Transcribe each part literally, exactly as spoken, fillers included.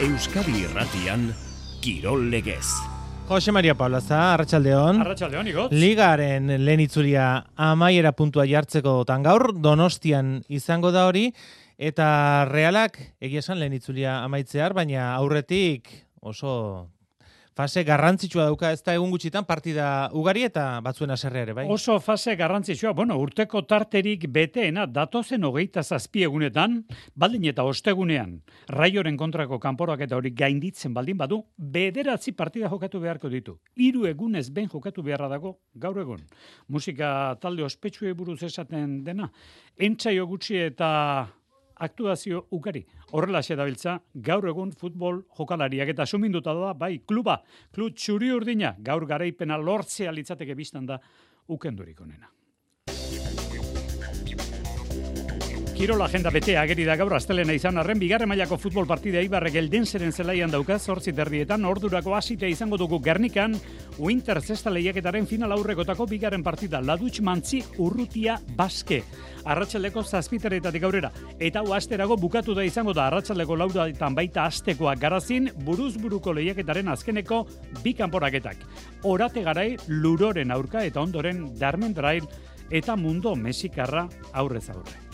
Euskadi Irratian, Kirol Legez. Jose Maria Paulaza, Arratsaldeon. Arratsaldeon, igotz. Ligaren lehen itzulia amaiera puntua jartzekotan gaur, Donostian izango da hori, eta Realak egia esan lehen itzulia amaitzear, baina aurretik oso fase garrantzitsua dauka, ez da egun gutxitan partida ugari eta batzuen haserrea ere, bai? Oso fase garrantzitsua, bueno, urteko tarterik beteena datozen hogeita zazpi egunetan, baldin eta ostegunean, Raioren kontrako kanporak eta hori gainditzen baldin badu, bederatzi partida jokatu beharko ditu. Hiru egunez behin jokatu beharra dago gaur egun. Musika talde ospetsuei buruz esaten dena, entsaio gutxi eta aktuazio ugari. Horrelaxe dabiltza, gaur egun futbol jokalariak eta suminduta da, bai, kluba, klub txuri urdina, gaur garaipena lortzea litzateke biztan da ukendurik onena. Kirol agenda betea ageri da gaur astelena izan arren, bigarren mailako futbol partida Eibarrek Eldenseren zelaian dauka, zortzi terrietan, ordurako hasita izango dugu Gernikan, Winter zesta lehiaketaren final aurrekotako bigarren partida, Ladutx Mantzi Urrutia Baske. Arratsaldeko zazpiterretatik aurrera. Eta hau asterago bukatu da izango da arratsaldeko lauretan baita astekoak Garazin, buruz buruko lehiaketaren azkeneko bi kanporaketak. Orate garai Luroren aurka eta ondoren Darmendrail eta Mundo Mexikarra aurrez aurre.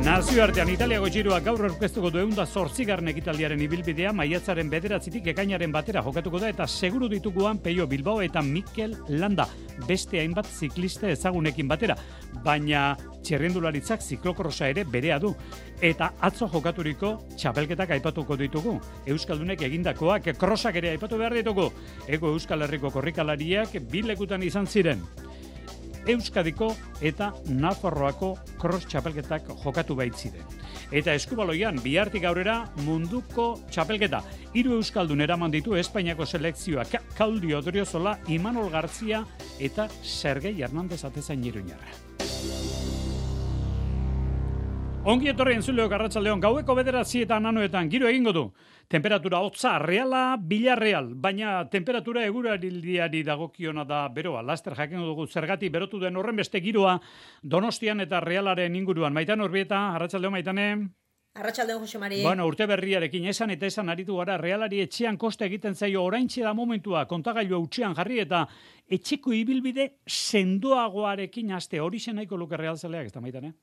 Nazioartean Italiako Giroak gaur aurkeztuko du ehun eta zortzigarren ekitaldiaren ibilbidea maiatzaren bederatzitik ekainaren batera jokatuko da eta seguru dituguan Peio Bilbao eta Mikel Landa, beste hainbat ziklista ezagunekin batera, baina txirrindularitzak ziklokrosa ere berea du. Eta atzo jokaturiko txapelketak aipatuko ditugu. Euskaldunek egindakoak krosak ere aipatu behar ditugu. Ego Euskal Herriko korrikalariak bi lekutan izan ziren. Euskadiko eta Nafarroako cross txapelketak jokatu baitziren. Eta eskubaloian bihartik aurrera munduko txapelketa. Hiru euskaldun eraman ditu Espainiako selekzioak, Claudio Odriozola, Imanol Gartzia eta Sergei Hernandez atezain iruñarra. Ongi etorri entzuleok arratsaldeon, gaueko bederatzietan anoetan giro egingo du. Temperatura hotza, Reala, Villarreal, baina temperatura eguraldiari dagokiona da beroa. Laster jakingo dugu zergatik berotu den horren beste giroa Donostian eta Realaren inguruan. Maitan Urbieta, arratsaldeon Maitane. Arratsaldeon Jose Mari. Bueno, urte berriarekin esan eta esan aritu gara, Realari etxean kosta egiten zaio oraintxe da momentua, kontagailua utxean jarri eta etxeko ibilbide sendoagoarekin haste hori nahiko luke Realzaleak, ez da Maitane?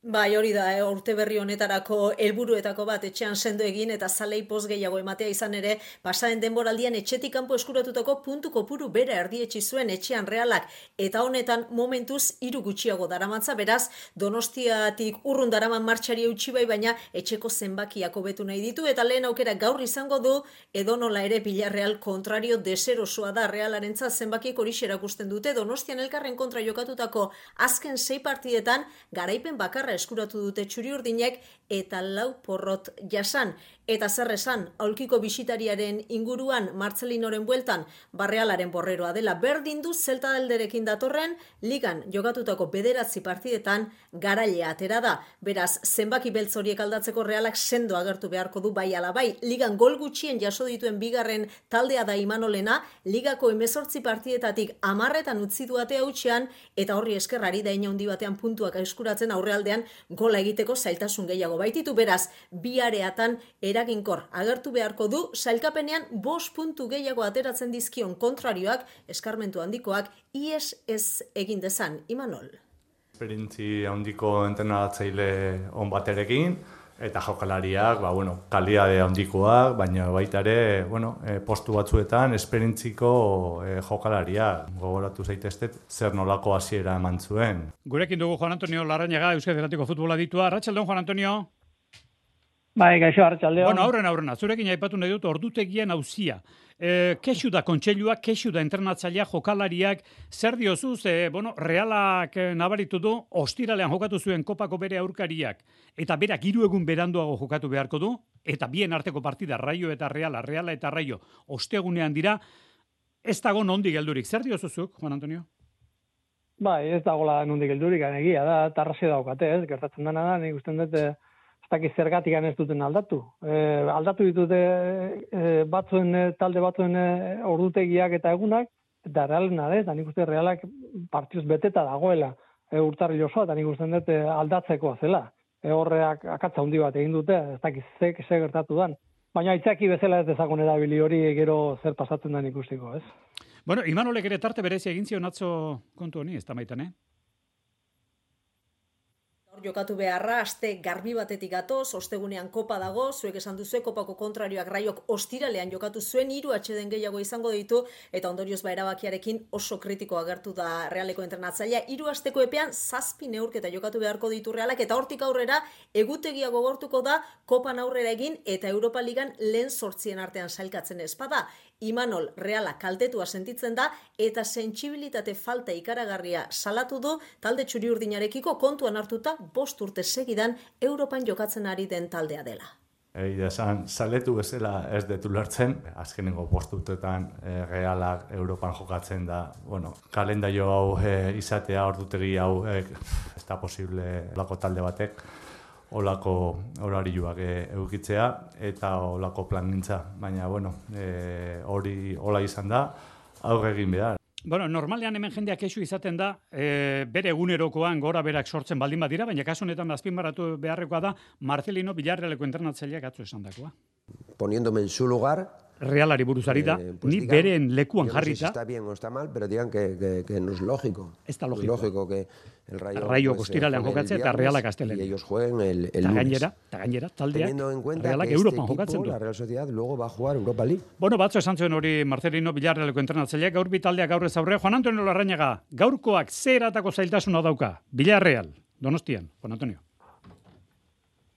Bai, hori da, eh, urte berri honetarako helburuetako bat etxean sendo egin eta zalei poz gehiago ematea izan ere, pasaren denboraldian etxetik kanpo eskuratutako puntu kopuru bera erdietsi zuen etxean Realak eta honetan momentuz hiru gutxiago daramatza, beraz Donostiatik urrun daraman martxari eutsi bai, baina etxeko zenbakiak hobetu nahi ditu eta lehen aukera gaur izango du edonola ere Villarreal kontrario deserosoa da Realarentzat zenbakiek hori erakusten dute. Donostian elkarren kontra jokatutako azken sei partidetan garaipen bakarra eskuratu dute txuri-urdinek eta lau porrot jasan. Eta zer esan, aulkiko bisitariaren inguruan Marcelinoren bueltan Barrealaren borreroa dela berdin du Zelta alderekin datorren ligan jokatutako bederatzi partidetan garailea atera da. Beraz, zenbaki beltz horiek aldatzeko Realak sendo agertu beharko du bai ala bai. Ligan gol gutxien jaso dituen bigarren taldea da Imanolena, ligako hemezortzi partidetatik hamarretan utzi du atea hutsean eta horri eskerrari da ina handi batean puntuak eskuratzen aurrealdean gola egiteko zailtasun gehiago baititu. Beraz, bi areatan eraginkor agertu beharko du, sailkapenean bost puntu gehiago ateratzen dizkion kontrarioak, eskarmentu handikoak, ies ez egin dezan, Imanol. Esperientzi handiko entrenatzaile on baterekin, eta jokalariak, ba, bueno, kalidade handikoak, baina baita ere, bueno, e, postu batzuetan esperientziko e, jokalariak. Gogoratu zaitezte zer nolako hasiera eman zuen. Gurekin dugu Juan Antonio Larrañaga, Euskadi Irratiko futbola ditua. Arratsaldeon Juan Antonio. Bai, gaixo, arratsaldeon. Bueno, aurren aurrena, zurekin aipatu nahi dut ordutegian auzia. E, kexu da kontseilua, kexu da entrenatzailea, jokalariak, zer diozu, ze, bueno, Realak nabaritu du, ostiralean jokatu zuen kopako bere aurkariak, eta berak hiru egun beranduago jokatu beharko du, eta bien arteko partida, Raio eta Reala, Reala eta Raio, ostegunean dira, ez dago nondik geldurik. Zer diozuzuk, Juan Antonio? Bai, ez dagoela nondik geldurik, egia da, tarraze daukate, ez, gertatzen dena da, nik usten dut, ez dakit zergatik ez duten aldatu. E, aldatu ditute e, batzuen, talde batzuen e, ordutegiak eta egunak, eta Realena da, eta nik uste Realak partioz beteta dagoela e, urtarri osoa, eta nik uste dut e, aldatzekoa zela. E, horreak akatza handi bat egin dute, ez dakit ze, ze gertatu dan. baina aitzaki bezala ez dezagun erabili hori gero zer pasatzen den ikustiko, ez? Bueno, Imanolek ere tarte berezia egin zion atzo kontu honi, ez da maitan, eh? Jokatu beharra, aste garbi batetik gatoz, ostegunean kopa dago, zuek esan duzue, kopako kontrarioak Raiok ostiralean jokatu zuen, hiru atxeden gehiago izango ditu, eta ondorioz ba erabakiarekin oso kritiko agertu da Realeko entrenatzailea. Hiru asteko epean zazpi neurketa jokatu beharko ditu Realak, eta hortik aurrera egutegia gogortuko da kopan aurrera egin, eta Europa Ligan lehen sortzien artean sailkatzen espada. Imanol Reala kaltetua sentitzen da, eta sentsibilitate falta ikaragarria salatu du, talde txuri-urdinarekiko kontuan hartuta bost urte segidan Europan jokatzen ari den taldea dela. Egia esan, saletu bezala ez detu lertzen, azkenengo bost urtetan e, Realak Europan jokatzen da, bueno, kalendario hau e, izatea, ordutegi hau e, ez da posible olako talde batek, olako horariuak e, eukitzea eta olako plangintza, baina bueno, e, hori hola izan da, aurre egin behar. Bueno, normalean hemen jendeak kexu izaten da, e, bere egunerokoan gora berak sortzen baldin badira, baina kasu honetan azpimarratu beharrekoa da Marcelino Villarrealeko entrenatzaileak atzo esandakoa. Poniéndome en su lugar, Realari buruzari da, eh, pues ni digan, beren lekuan yo no sé jarrita. si está bien o está mal, pero digan que, que, que no es lógico. Está No es lógico. lógico que el Rayo, Rayo pues, ostiralean juegue el jokatzea eta viernes Realak astelehen. y ellos jueguen el, el Ta lunes. gainera, ta gainera, taldeak Teniendo en cuenta Realak que Europan este jokatzen equipo, du. la Real Sociedad, luego va a jugar Europa League. Bueno, batzo esan zuen hori Marcelino Villarrealeko entrenatzaileak, gaur bi taldeak aurrez aurre. Juan Antonio Larrañaga, gaurkoak zer eratako zailtasuna dauka? Villarreal, Donostian, Juan Antonio.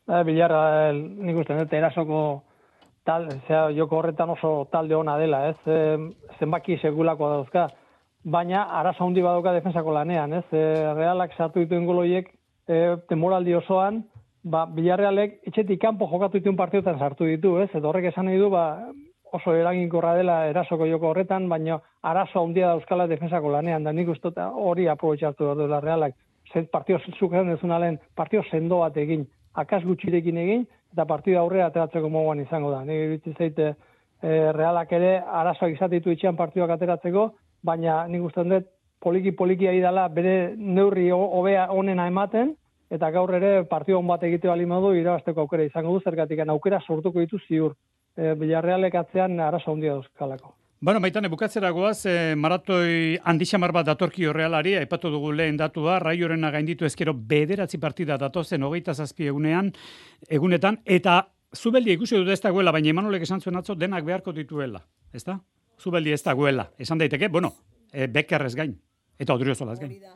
Eh, Bilarra, nik uste dut, erasoko tal, zera, joko horretan oso talde ona dela, ez? E, zenbaki segulako dauzka, baina arazo handi badauka defensako lanean, ez? E, Realak sartu dituen goloiek e, temoraldi osoan, ba, Villarrealek etxetik kanpo jokatu dituen partiotan sartu ditu, ez? Eta horrek esan nahi du, ba, oso eraginkorra dela erasoko joko horretan, baina arazo handia dauzkala defensako lanean, da nik uste hori aprobetxatu behar duela Realak. Zer partio zuken ez unalen, partio sendo bat egin, akas gutxirekin egin, eta partida aurrera ateratzeko moduan izango da. Nire iritsi zaite e, Realak ere arazoak izatitu itxean partiduak ateratzeko, baina nik uste dut poliki-poliki ari dela bere neurri hobea onena ematen, eta gaur ere partidu on bat egite bali modu irabasteko aukera izango du, zergatik aukera sortuko ditu ziur. E, Villarrealek atzean arazo handia dauzkalako. Bueno, Maitane, bukatzera goaz, eh, maratoi handixamar bat datorkio Realari, aipatu dugu lehen datua, Raiorena gainditu ezkero bederatzi partida datozen hogeita zazpi egunean, egunetan, eta Zubeldia ikusi dut ez dagoela, baina Imanolek esan zuen atzo denak beharko dituela, ez da? Zubeldia ez dagoela, esan daiteke, bueno, e, Bekerrez gain, eta Odriozolaz gain. Hori da.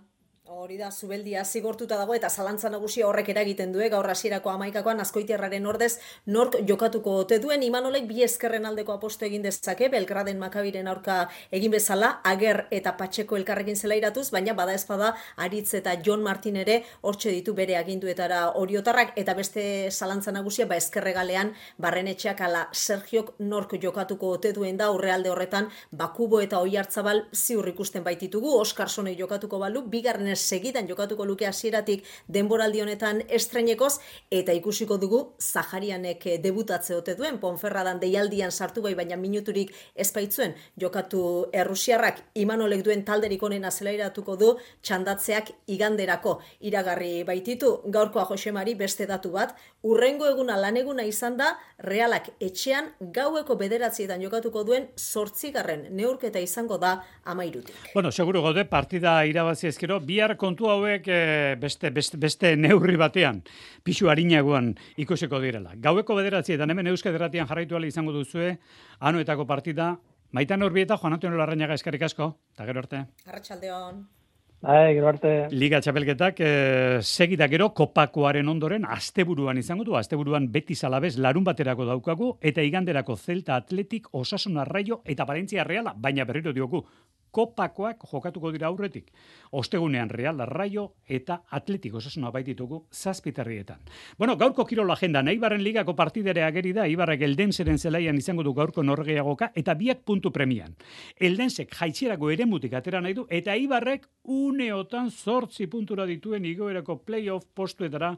Hori da, Zubeldia zigortuta dago eta zalantza nagusia horrek eragiten du, gaur hasierako hamaikakoan Azkoitiarraren ordez nork jokatuko ote duen. Imanolek bi ezkerren aldeko aposto egin dezake, Belgraden Makabiren aurka egin bezala, Ager eta Patxeko elkarrekin zelairatuz, baina bada ezpada Aritz eta Jon Martin ere hortxe ditu bere aginduetara oriotarrak, eta beste zalantza nagusia ba ezkerregalean Barrenetxeak ala Sergiok nork jokatuko ote duen da, aurrealde horretan Bakubo eta Oiartzabal ziur ikusten baititugu, Oskarsonei jokatuko balu, bigarren segidan jokatuko luke hasieratik denboraldi honetan estrenekoz, eta ikusiko dugu Zaharianek debutatze ote duen, Ponferradan deialdian sartu bai, baina minuturik ez baitzuen jokatu errusiarrak. Imanolek duen talderik onena zelairatuko du txandatzeak iganderako iragarri baititu. Gaurkoa Josemari beste datu bat, urrengo eguna laneguna izan da Realak etxean gaueko bederatzietan jokatuko duen zortzigarren neurketa izango da amairutik. Bueno, seguro gaude partida irabazi ezkero, bihar kontu hauek e, beste, beste, beste neurri batean, pixu harinagoan ikusiko direla. Gaueko bederatzietan hemen Euskadi Irratian jarraitu ahal izango duzue, Anoetako partida, Maitan Urbieta, Juan Antonio Larrañaga eskerrik asko, eta gero arte. Arratsaldeon. Bai, gero arte. Liga txapelketak e, segida gero kopakoaren ondoren asteburuan izango du, asteburuan Betis Alavés larun baterako daukagu, eta iganderako Celta Athletic, Osasuna Rayo eta Valencia Reala, baina berriro diogu, kopakoak jokatuko dira aurretik. Ostegunean Real, Rayo eta Athletic Osasuna baititugu zazpiterrietan. Bueno, gaurko kirol agenda, Eibarren ligako partidere ageri da, Eibarrek Eldenseren zelaian izango du gaurko norgeagoka, eta biak puntu premian. Eldensek jaitsierako eremutik atera nahi du, eta Eibarrek uneotan zortzi puntura dituen igoerako playoff postuetara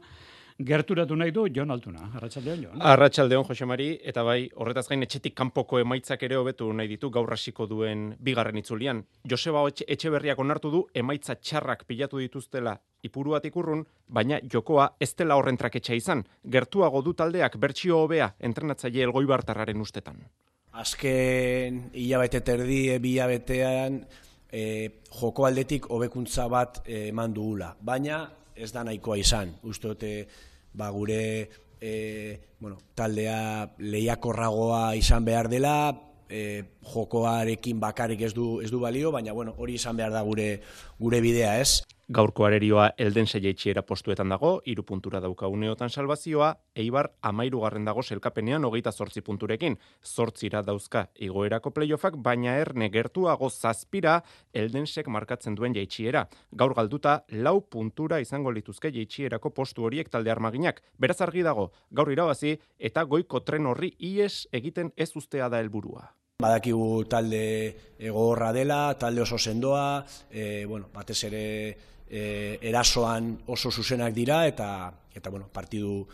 gerturatu nahi du Jon Altuna. Arratsaldeon, Jon. Arratsaldeon, Jose Mari, eta bai, horretaz gain etxetik kanpoko emaitzak ere hobetu nahi ditu gaur hasiko duen bigarren itzulian. Joseba Etxeberriak onartu du emaitza txarrak pilatu dituztela Ipuruatik urrun, baina jokoa ez dela horren traketxa izan. Gertuago du taldeak bertsio hobea entrenatzaile Elgoibartarraren ustetan. Azken hilabete terdi, bi hilabetean e, joko aldetik hobekuntza bat eman e, dugula, baina ez da nahikoa izan. Uste dute ba, gure e, bueno, taldea lehiakorragoa izan behar dela, e, jokoarekin bakarrik ez du, ez du balio, baina bueno, hori izan behar da gure, gure bidea, ez? Gaurko arerioa Eldense jaitxiera postuetan dago, hiru puntura dauka uneotan salbazioa, Eibar amairugarren dago selkapenean hogeita zortzi punturekin. Zortzira dauzka igoerako playoffak, baina erne gertuago zazpira Eldensek markatzen duen jaitxiera. Gaur galduta, lau puntura izango lituzke jaitxierako postu horiek talde armaginak. Beraz argi dago, gaur irabazi eta goiko tren horri ies egiten ez ustea da helburua. Badakigu talde gogorra dela, talde oso sendoa, e, bueno, batez ere e, erasoan oso zuzenak dira eta eta bueno, partidu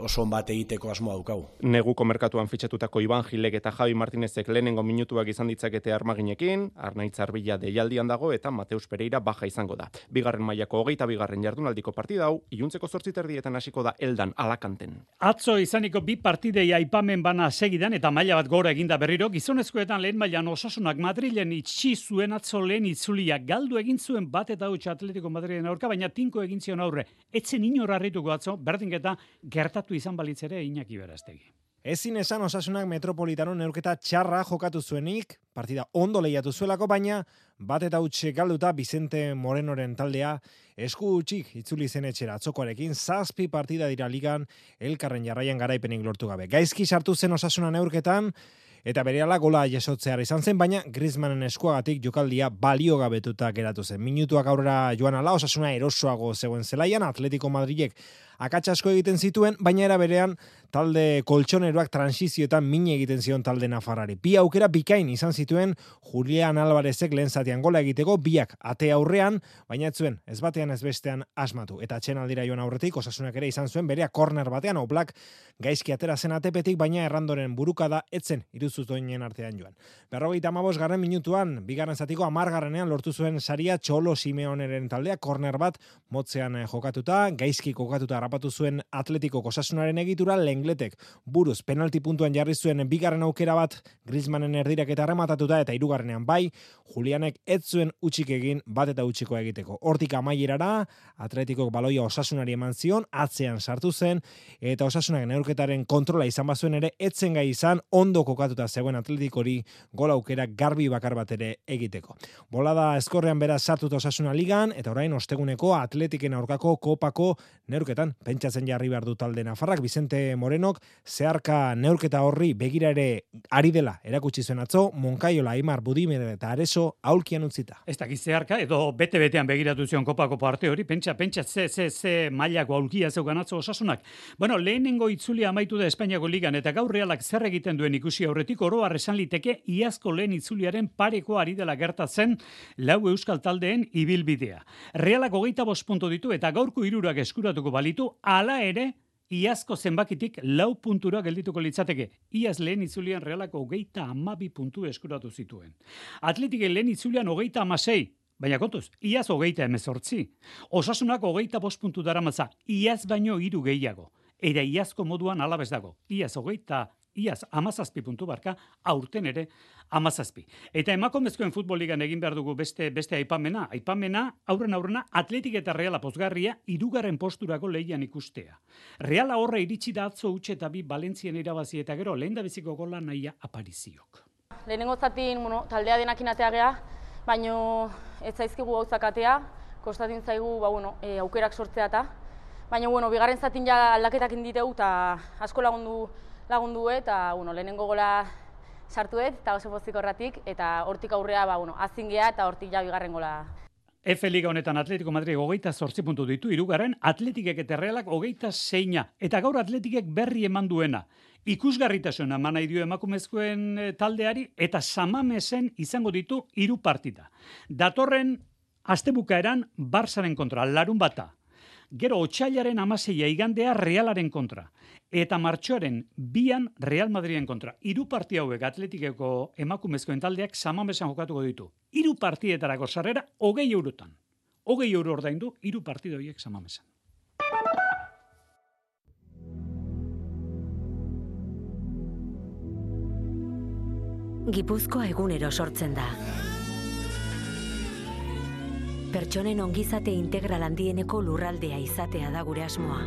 oso on bat egiteko asmoa daukagu. Neguko merkatuan fitxatutako Iban Gilek eta Javi Martinezek lehenengo minutuak izan ditzakete armaginekin, Arnaitz Arbila deialdian dago eta Mateus Pereira baja izango da. Bigarren mailako hogeita bigarren jardunaldiko partida hau, iluntzeko zortzi terdietan hasiko da Eldan Alakanten. Atzo izaniko bi partidei aipamen bana segidan eta maila bat gora eginda berriro, gizonezkoetan lehen mailan Osasunak Madrilen itxi zuen atzo lehen itzulia galdu egin zuen bat eta huts Atletico Madrilen aurka, baina tinko egin zion aurre. Etzen inor harrituko atzo, berdinketa gertatu izan balitz ere Iñaki Berastegi. Ezin esan Osasunak Metropolitano neurketa txarra jokatu zuenik, partida ondo lehiatu zuelako, baina bat eta huts galduta Vicente Morenoren taldea esku hutsik itzuli zen etxera atzokoarekin, zazpi partida dira ligan elkarren jarraian garaipenik lortu gabe. Gaizki sartu zen Osasuna neurketan, eta berehala gola jasotzear izan zen, baina Griezmannen eskuagatik jokaldia baliogabetuta geratu zen. Minutuak aurrera joan ala, Osasuna erosoago zegoen zelaian, Atletico Madrilek akats asko egiten zituen, baina era berean talde koltsoneroak transizioetan min egiten zion talde nafarrari. Bi aukera bikain izan zituen Julian Alvarezek lehen zatian gola egiteko, biak ate aurrean, baina ez zuen, ez batean ez bestean asmatu. Eta atxenaldira joan aurretik, Osasunak ere izan zuen berea korner batean, Oblak gaizki atera zen atepetik, baina errandoren burukada etzen iruzutoinen artean joan. Berrogeita hamabost garren minutuan, bigarren zatiko hamargarrenean lortu zuen saria Txolo Simeoneren taldea, korner bat motzean jokatuta, gaizki kokatuta harrapatu zuen Atletiko Osasunaren egitura, Lengletek buruz penalti puntuan jarri zuen bigarren aukera bat Griezmannen erdirak eta rematatuta, eta hirugarrenean bai, Julianek ez zuen utxik egin bat eta utxikoa egiteko. Hortik amaierara, Atletikok baloia Osasunari eman zion, atzean sartu zen, eta Osasunak neurketaren kontrola izan bazuen ere, etzen gai izan, ondo kokatuta zegoen Atletikori gol aukera garbi bakar bat ere egiteko. Bolada eskorrean beraz sartuta Osasuna ligan, eta orain osteguneko Atletiken aurkako kopako neurketan pentsatzen jarri behar du talde nafarrak. Vicente Morenok zeharka neurketa horri begira ere ari dela erakutsi zuen atzo, Monkaiola, Aimar, Budimer eta Areso aulkian utzita. Ez dakiz zeharka, edo bete-betean begiratu zion kopako parte hori, pentsa, pentsa, ze, ze, ze mailako aulkia zeukan atzo Osasunak. Bueno, lehenengo itzulia amaitu da Espainiako ligan, eta gaur Realak zer egiten duen ikusi aurretik, oro har esan liteke iazko lehen itzuliaren pareko ari dela gertatzen lau euskal taldeen ibilbidea. Realak hogeita bost puntu ditu eta gaurko hirurak eskuratuko balitu, hala ere iazko zenbakitik lau puntura geldituko litzateke. Iaz lehen itzulian Realak hogeita hamabi puntu eskuratu zituen. Atletiken lehen itzulian hogeita hamasei, baina kontuz, iaz hogeita hemezortzi. Osasunak hogeita bost puntu daramatza, iaz baino hiru gehiago. Era iazko moduan alabez dago. Iaz hogeita Iaz, amazazpi puntu barka, aurten ere amazazpi. Eta emakumezkoen futboligan egin behar dugu beste, beste aipamena. Aipamena, aurren aurrena, Atletik eta Reala pozgarria, hirugarren posturako lehian ikustea. Reala horre iritsi da atzo utxe eta bi Valentzien irabazi eta gero, lehen da biziko gola nahia apariziok. Lehenengo zatin, bueno, taldea denakin atea geha, baino ez zaizkigu gauzak atea, kostatin zaigu ba, bueno, e, aukerak sortzea eta, baina bueno, bigarren zatin ja aldaketak inditeu eta asko lagundu lagundu eta bueno, lehenengo gola sartuet eta oso pozik horratik eta hortik aurrea ba, bueno, azin geha eta hortik ja bigarren gola. F Liga honetan Atletico Madrid hogeita zortzi puntu ditu, hirugarren Atletikek eta Realak hogeita seina. Eta gaur Atletikek berri eman duena. Ikusgarritasuna eman nahi dio emakumezkoen taldeari eta Samamesen izango ditu hiru partida. Datorren astebukaeran Barsaren kontra, larun bata. Gero otsailaren amaseia igandea Realaren kontra. Eta martxoaren bian Real Madriden kontra. Hiru parti hauek Atletikeko emakumezkoen taldeak Samamesan jokatuko ditu. Hiru partietarako sarrera hogei eurotan. Hogei euro ordaindu hiru partido horiek Samamesan. Gipuzkoa egunero sortzen da. Pertsonen ongizate integral handieneko lurraldea izatea da gure asmoa.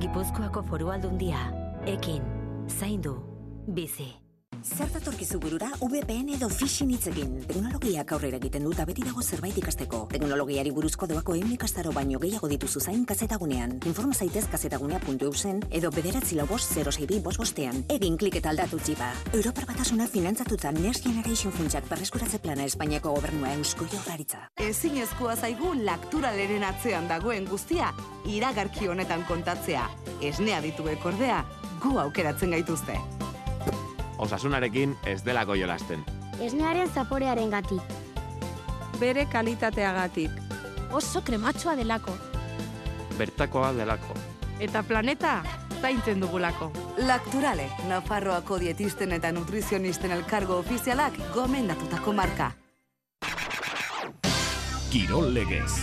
Gipuzkoako Foru Aldundia, ekin, zaindu, bizi. Zer datorkizu burura V P N edo phishing hitzekin. Teknologiak aurrera egiten dut beti dago zerbait ikasteko. Teknologiari buruzko doako ehun ikastaro baino gehiago dituzu zain kazetagunean. Informa zaitez kazetagunea puntu eusen edo bederatzi lau bost zero sei bi bost bostean. Egin klik eta aldatu txipa. Europar Batasuna finantzatuta Next Generation funtsak berreskuratze plana Espainiako gobernua Eusko Jaurlaritza. Ezinezkoa zaigu lakturaleren atzean dagoen guztia iragarki honetan kontatzea. Esnea dituek ordea, gu aukeratzen gaituzte. Osasunarekin ez delako jolasten. Esnearen zaporearen gatik. Bere kalitateagatik. Oso krematxoa delako. Bertakoa delako. Eta planeta zaintzen dugulako. Lakturale, Nafarroako dietisten eta nutrizionisten elkargo ofizialak gomendatutako marka. Kirol legez.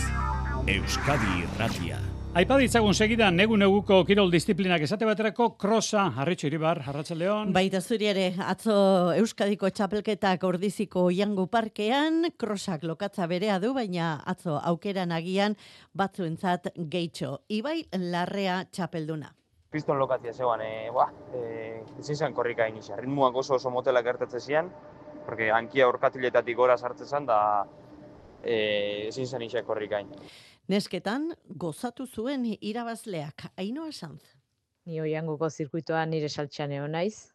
Euskadi Irratia. Aipa ditzagun segidan, negu-neguko kirol disiplinak esate baterako krosa, Arritxo Iribar, Arratsaldeon. Baita zuri ere, atzo Euskadiko txapelketak Ordiziko Oiangu Parkean, krosak lokatza berea du, baina atzo aukeran agian batzuentzat gehitxo. Ibai Larrea txapelduna. Kriston lokatzia zegoan, e, ba, e, ezin zen korrika inicia. Ritmuak oso oso motelak gertatzen zian, porque hankia orkatiletatik gora sartzen zen, da e, ezin zen inicia korrikain. Nesketan, gozatu zuen irabazleak, Ainhoa Sanz. Ni Oianguko zirkuitoa nire saltxan egon naiz.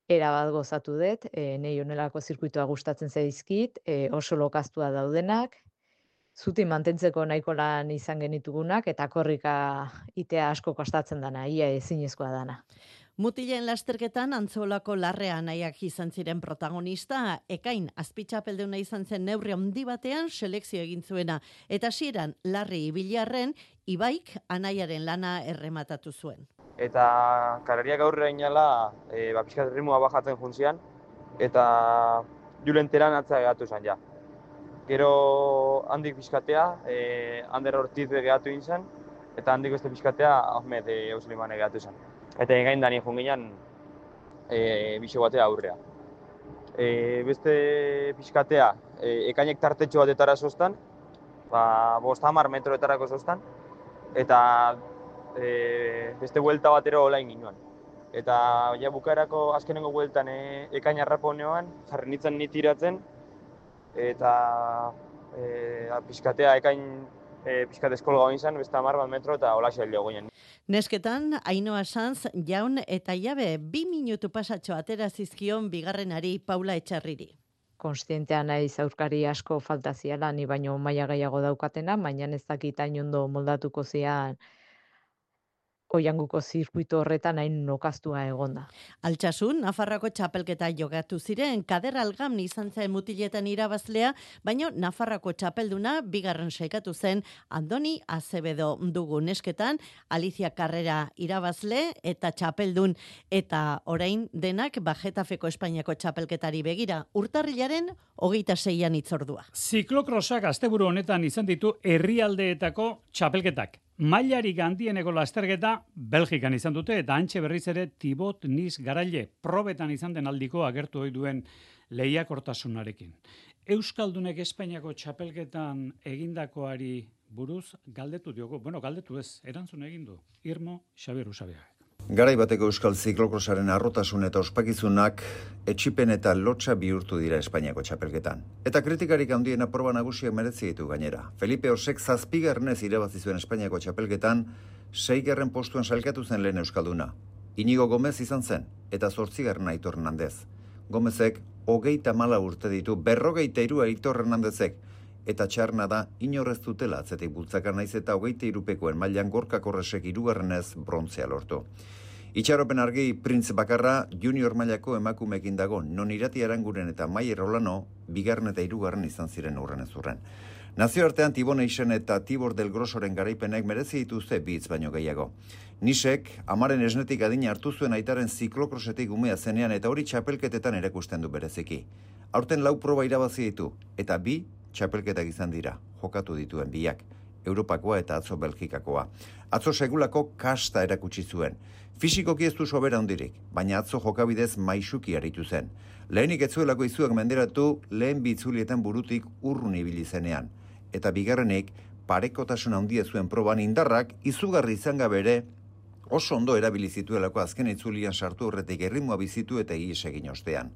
Era bat gozatu dut, e, nei honelako zirkuitoa gustatzen zaizkit, e, oso lokaztua daudenak, zuti mantentzeko nahiko lan izan genitugunak, eta korrika itea asko kostatzen dana, ia ezinezkoa dana. Mutilen lasterketan Antzolako Larrea nahiak izan ziren protagonista, ekain azpitxapeldeuna izan zen neurri handi batean selekzio egin zuena, eta hasieran Larri ibilarren Ibaik anaiaren lana errematatu zuen. Eta karariak aurrera inala, e, ba, pixkat ritmoa bajatzen juntzian, eta julenteran atza egatu zen ja. Gero handik pixkatea, e, Ander Ortiz begatu inzen, eta handik beste pixkatea Ahmed e, Eusliman egatu zen. Eta egain dani junginan e, bixo batea aurrea. E, beste pixkatea, e, ekainek tartetxo batetara zoztan, ba, bost hamar metroetarako zoztan, eta e, beste buelta batero olain ginoan. Eta ja, bukaerako azkenengo bueltan e, ekain arraponean, jarri nintzen nitiratzen, eta e, pixkatea ekain e, pixkat eskolga hoin zen, beste hamar bat metro eta olaxe helio goinen. Nesketan, Ainhoa Sanz, jaun eta jabe, bi minutu pasatxo atera zizkion bigarrenari Paula Etxarriri. Konstientea naiz aurkari asko falta ziala, ni baino maila gehiago daukatena, baina ez dakit hain ondo moldatuko zian Oianguko zirkuito horretan hain nokaztua egonda. Altsasun, Nafarroako txapelketa jogatu ziren, Kader Algam izan zen mutiletan irabazlea, baino Nafarroako txapelduna bigarren saikatu zen Andoni Azevedo dugu. Nesketan, Alicia Carrera irabazle eta txapeldun, eta orain denak Bajetafeko Espainiako txapelketari begira, urtarrilaren hogeita seian itzordua. Ziklokrosak asteburu honetan izan ditu herrialdeetako txapelketak. Mailarik handieneko lasterketa Belgikan izan dute, eta antxe berriz ere Tibot Nis Garaile probetan izan den aldiko agertu ohi duen lehiakortasunarekin. Euskaldunek Espainiako txapelketan egindakoari buruz galdetu diogu. Bueno, galdetu ez, erantzun egin du. Irmo Xabier Usabiaga. Garai bateko euskal ziklokrosaren arrotasun eta ospakizunak etxipen eta lotxa bihurtu dira Espainiako txapelketan. Eta kritikarik handiena proba nagusiak merezi ditu gainera. Felipe Osek zazpigarrenez irabazi zuen Espainiako txapelketan, seigarren postuan sailkatu zen lehen euskalduna. Inigo Gomez izan zen, eta zortzigarren Aitor Hernandez. Gomezek hogeita mala urte ditu, berrogeita hiru Aitor Hernandezek, eta txarna da inorrez dutela atzetik bultzakar naiz eta hogeita hirupekoen mailan Gorka Korresek hirugarrenez brontzea lortu. Itxaropen argi Printz bakarra junior mailako emakumeekin dago, non Irati Aranguren eta Maier Olano bigarren eta hirugarren izan ziren urren ez urren. Nazioartean Tibon Eixen eta Tibor del Grosoren garaipenek merezi dituzte bitz baino gehiago. Nisek, amaren esnetik adina hartu zuen aitaren ziklokrosetik umea zenean eta hori txapelketetan erakusten du bereziki. Aurten lau proba irabazi ditu, eta bi txapelketak izan dira, jokatu dituen biak, Europakoa eta atzo Belgikakoa. Atzo segulako kasta erakutsi zuen. Fisikoki ez du sobera handirik, baina atzo jokabidez maisuki aritu zen. Lehenik ez zuelako izuak menderatu lehen bitzulietan burutik urrun ibili zenean. Eta bigarrenik, parekotasun handia zuen proban indarrak izugarri izan gabe ere oso ondo erabili zituelako azken itzulian sartu horretik erritmoa bizitu eta ihes egin ostean.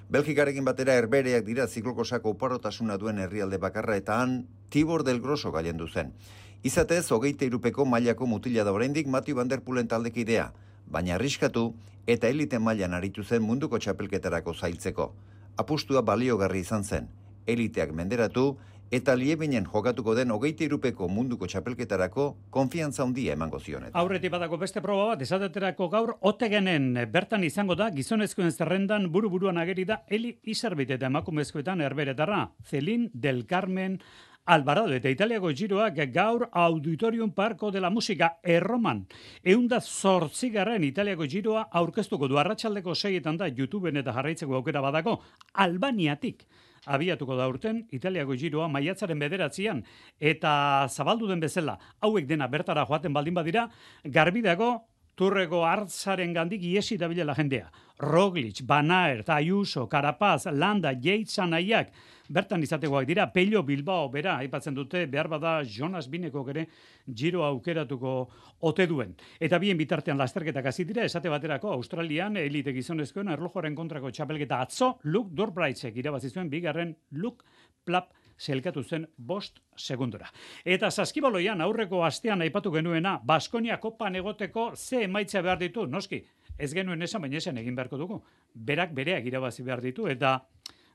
Belgikarekin batera herbereak dira ziklokosako oparotasuna duen herrialde bakarra eta han Tibor del Groso gailendu zen. Izatez, hogeita irupeko mailako mutila da oraindik Mathieu van der Poelen taldekidea, baina arriskatu eta elite mailan aritu zen munduko txapelketarako zailtzeko. Apustua baliogarri izan zen, eliteak menderatu eta Liebinen jokatuko den hogeita irupeko munduko txapelketarako konfiantza handia emango zionet. Aurretik badako beste proba bat, esateterako gaur Otegenen bertan izango da, gizonezkoen zerrendan buru-buruan ageri da Eli Izerbit eta emakumezkoetan herberetarra, Celin del Carmen Alvarado eta Italiako giroak gaur Auditorium Parco de la Música erroman. Eunda zortzigarren Italiako giroa aurkeztuko du arratsaldeko seietan da YouTubeen eta jarraitzeko aukera badako Albaniatik. Abiatuko da urten Italiako giroa maiatzaren bederatzian eta zabaldu den bezala hauek dena bertara joaten baldin badira garbi dago Turreko hartzaren gandik iesi dabilela jendea. Roglic, Van Aert, Ayuso, Carapaz, Landa, Yates anaiak bertan izategoak dira. Pello Bilbao bera aipatzen dute, behar bada Jonas Bineko ere giro aukeratuko ote duen. Eta bien bitartean lasterketak hasi dira, esate baterako Australian elite gizonezkoen erlojoaren kontrako txapelketa atzo Luke Dorbraitzek irabazi zuen bigarren Luke Plap selkatu zen bost segundora. Eta saskibaloian aurreko astean aipatu genuena, Baskonia kopan egoteko ze emaitza behar ditu, noski, ez genuen esan, baina esan egin beharko dugu. Berak bereak irabazi behar ditu, eta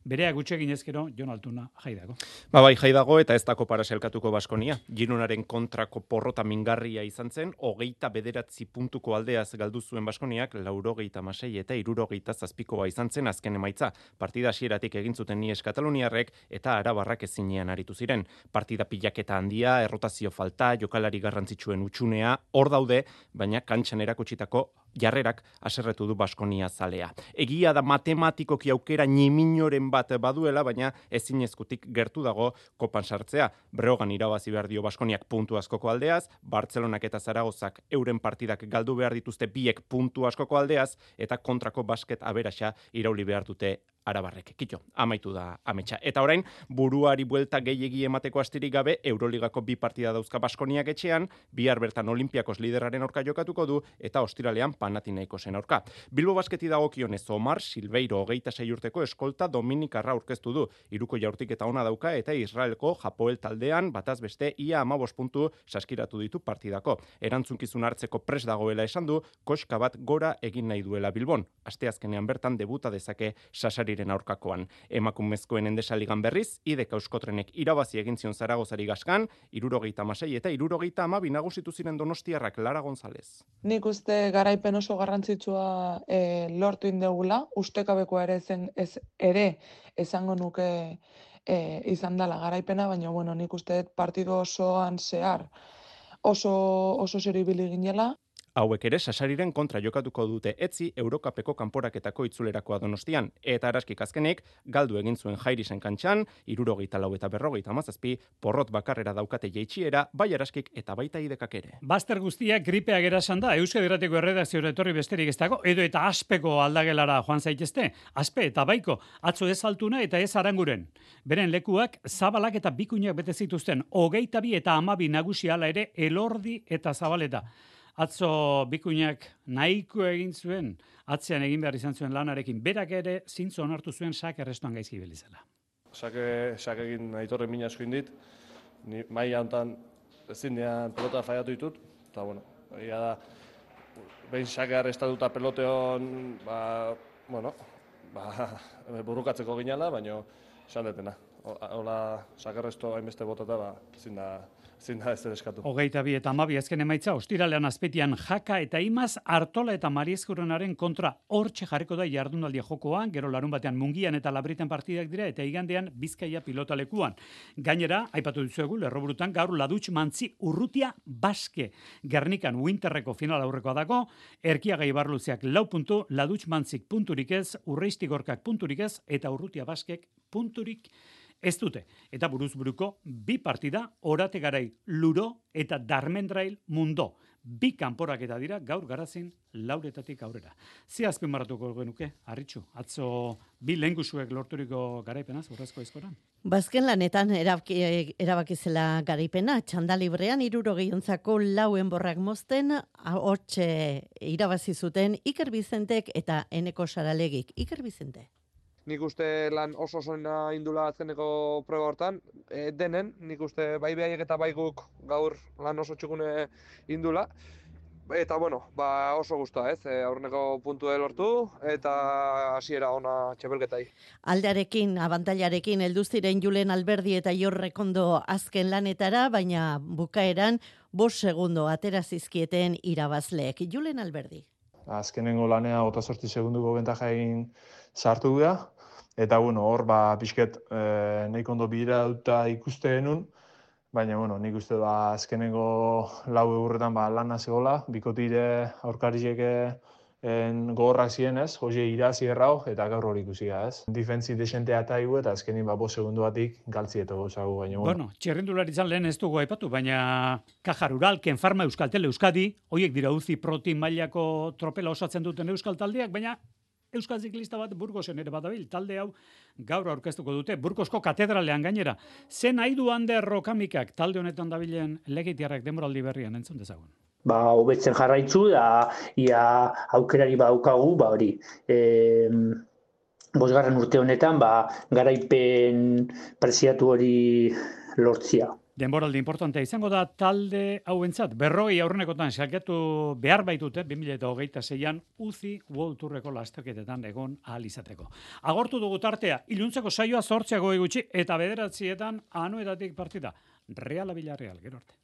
bereak gutxegin ezkero, Jon Altuna jaidago. Ba bai, jaidago eta ez dako para selkatuko Baskonia. Girunaren kontrako porrota mingarria izan zen, hogeita bederatzi puntuko aldeaz galdu zuen Baskoniak, laurogeita masei eta irurogeita zazpikoa izan zen azken emaitza. Partida hasieratik egin zuten Nies Kataluniarrek eta Arabarrak ezinean aritu ziren. Partida pilaketa handia, errotazio falta, jokalari garrantzitsuen utxunea, hor daude, baina kantxan erakutsitako jarrerak haserretu du Baskonia zalea. Egia da matematikoki aukera ñiminoren bat baduela, baina ezinezkutik gertu dago kopan sartzea. Breogan irabazi behar dio Baskoniak puntu askoko aldeaz, Bartzelonak eta Zaragozak euren partidak galdu behar dituzte biek puntu askoko aldeaz, eta kontrako basket aberaxa irauli behar dute Arabarrek. Kito, amaitu da ametsa. Eta orain, buruari buelta gehiegi emateko astirik gabe, Euroligako bi partida dauzka Baskoniak etxean, bihar bertan Olimpiakos lideraren aurka jokatuko du, eta ostiralean Panathinaikosen aurka. Bilbo basketi dagokionez Omar Silveiro hogeita sei urteko eskolta Dominikarra aurkeztu du. Hiruko jaurtik eta ona dauka, eta Israelko Hapoel taldean bataz beste ia hamabost puntu saskiratu ditu partidako. Erantzunkizun hartzeko pres dagoela esan du, koska bat gora egin nahi duela Bilbon. Asteazkenean bertan debuta dezake Sasari aurkakoan. Emakumezkoen endesaligan berriz, idek Euskotrenek irabazi egin zion Zaragozari gaskan, irurogeita hamasei eta irurogeita hamabi nagusitu ziren Donostiarrak. Lara González. Nik uste garaipen oso garrantzitsua e, lortu indegula, ustekabekoa ere zen ez ere esango nuke e, izan dela garaipena, baina bueno, nik uste partido osoan zehar oso oso seribili ginela. Hauek ere Sasariren kontra jokatuko dute etzi Eurokapeko kanporaketako itzulerakoa Donostian, eta araskik azkenik galdu egin zuen Jairisen kantxan, irurogeita lau eta berrogeita hamazazpi, porrot bakarrera daukate jeitsiera, bai araskik eta baita idekak ere. Baster guztiak gripeak erasan da, Euskadi Irratiko erredakziora etorri besterik ez dago, edo eta aspeko aldagelara joan zaitezte, aspe eta baiko, atzo ez altuna eta ez aranguren. Beren lekuak zabalak eta bikuinak bete zituzten, hogeita bi eta hamabi nagusi hala ere Elordi eta Zabaleta. Atzo bikuinak nahiko egin zuen, atzean egin behar izan zuen lanarekin, berak ere zintzo onartu zuen sak errestuan gaizki belizela. Sake, sake egin aitorren mina asko indit, ni maila hontan ezinean pelota faiatu ditut, eta bueno, egia da, behin sake arrestatuta peloteon, ba, bueno, ba, burrukatzeko ginala, baina esan detena. Hola, sake arresto hainbeste botata, ba, ezin da, ezin da ez eskatu. Hogeita bi eta hamabi azken emaitza, ostiralean azpetian Jaka eta Imaz, Artola eta Mariezkurenaren kontra hortxe jarriko da jardunaldia jokoan, gero larun batean Mungian eta Labritan partidak dira, eta igandean Bizkaia pilotalekuan. Gainera, aipatu dizuegu, lerroburutan gaur Ladutx Mantzi Urrutia Baske. Gernikan Winterreko final aurrekoa dago, Erkiaga Ibarluzeak lau puntu, Ladutx Mantzik punturik ez, Urreistigorkak punturik ez, eta Urrutia Baskek punturik ez dute. Eta buruzburuko bi partida, Orate Garai Luro eta Darmendrail Mundo. Bi kanporaketa dira gaur Garazin lauretatik aurrera. Ze azpimarratuko genuke, Arritxu, atzo bi lehengusuek lorturiko garaipenaz, urrezko eskoran? Bazken lanetan erabaki, erabakizela garaipena, txanda librean irurogiontzako lauen borrak mozten, hortxe irabazi zuten Iker Bizentek eta Eneko Saralegik. Iker Bizente. Nik uste lan oso osoena indula azkeneko proba hortan, e, denen, nik uste bai behaiek eta bai guk gaur lan oso txukune indula. Eta, bueno, ba oso guztua, ez, e, aurreneko puntue lortu eta hasiera ona txapelketai. Aldearekin, abantailarekin, heldu ziren Julen Alberdi eta Jorrekondo azken lanetara, baina bukaeran bost segundo atera zizkieten irabazleek. Julen Alberdi. Azkenengo lanea ota zortzi segunduko bentajain sartu da, eta bueno, hor ba pixket e, nahiko ondo bidera duta ikuste genuen, baina bueno, nik uste da azkenengo lau eurretan ba lana zegoela, bikotire aurkariek en gogorrak ziren, ez? Jose irazi errau eta gaur hori ikusi da, ez? Defentsi desentea eta igu eta azkenin ba bost segundu batik galtzieto gozagu, baina bueno. Bueno, txirrindularitzan lehen ez dugu aipatu, baina Caja Rural, Kenfarma, Euskaltel, Euskadi, hoiek dira Uzi Proti mailako tropela osatzen duten euskal taldeak, baina euskal ziklista bat Burgosen ere badabil, talde hau gaur aurkeztuko dute, Burgosko katedralean gainera. Zen nahi du Ander Rokamikak talde honetan dabilen legitiarrak denboraldi berrian, entzun dezagun. Ba, hobetzen jarraitzu, da, ia aukerari badaukagu, ba hori. E, bosgarren urte honetan, ba, garaipen preziatu hori lortzia. Denboraldi importantea izango da talde hauentzat. Berroi aurrenekotan salkatu behar baitute, bi mila hogeita seian Uzi World Tourreko lasterketetan egon ahal izateko. Agortu dugu tartea, iluntzeko saioa zortziago gutxi eta bederatzietan anuetatik partida. Reala Villarreal, gero arte.